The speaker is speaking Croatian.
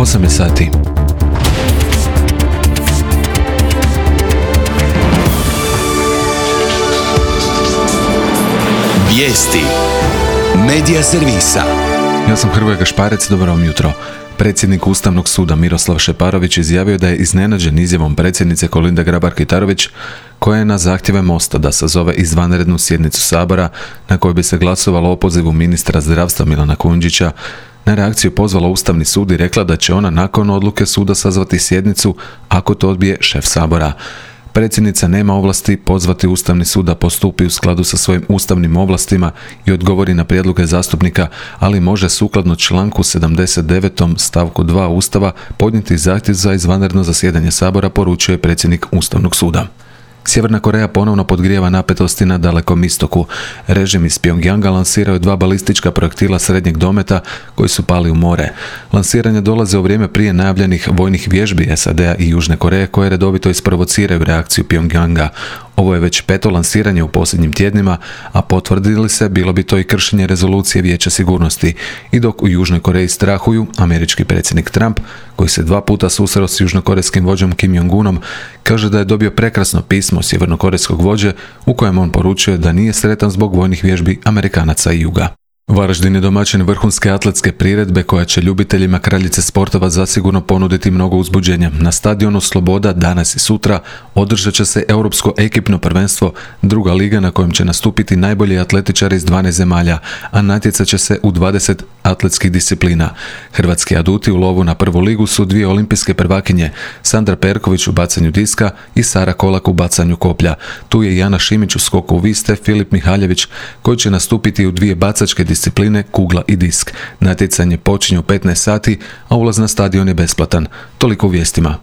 8 je sati. Vijesti Medija servisa. Ja sam Hrvoje Gašparec, dobro vam jutro. Predsjednik Ustavnog suda Miroslav Šeparović izjavio da je iznenađen izjavom predsjednice Kolinde Grabar-Kitarović, koja je na zahtjeve Mosta da sazove izvanrednu sjednicu Sabora na kojoj bi se glasovalo o opozivu ministra zdravstva Milana Kujundžića, na reakciju pozvala Ustavni sud i rekla da će ona nakon odluke suda sazvati sjednicu ako to odbije šef Sabora. Predsjednica nema ovlasti pozvati Ustavni sud da postupi u skladu sa svojim ustavnim ovlastima i odgovori na prijedloge zastupnika, ali može sukladno članku 79. stavku 2 Ustava podnijeti zahtjev za izvanredno zasjedanje Sabora, poručuje predsjednik Ustavnog suda. Sjeverna Koreja ponovno podgrijava napetosti na Dalekom istoku. Režim iz Pjongjanga lansirao je 2 balistička projektila srednjeg dometa koji su pali u more. Lansiranje dolaze u vrijeme prije najavljenih vojnih vježbi SAD-a i Južne Koreje koje redovito isprovociraju reakciju Pjongjanga. Ovo je već 5. lansiranje u posljednjim tjednima, a potvrdili se bilo bi to i kršenje rezolucije Vijeća sigurnosti. I dok u Južnoj Koreji strahuju, američki predsjednik Trump, koji se 2 puta susreo s južnokorejskim vođom Kim Jong-unom, kaže da je dobio prekrasno pismo sjevernokorejskog vođe u kojem on poručuje da nije sretan zbog vojnih vježbi Amerikanaca i Juga. Varaždin je domaćin vrhunske atletske priredbe koja će ljubiteljima kraljice sportova zasigurno ponuditi mnogo uzbuđenja. Na stadionu Sloboda danas i sutra održat će se Europsko ekipno prvenstvo, druga liga na kojem će nastupiti najbolji atletičari iz 12 zemalja, a natjecat će se u 20 atletskih disciplina. Hrvatski aduti u lovu na prvu ligu su 2 olimpijske prvakinje, Sandra Perković u bacanju diska i Sara Kolak u bacanju koplja. Tu je Jana Šimić u skoku u vis te Filip Mihaljević koji će nastupiti u 2 bacačke discipline, kugla i disk. Natjecanje počinje u 15 sati, a ulaz na stadion je besplatan. Toliko u vijestima.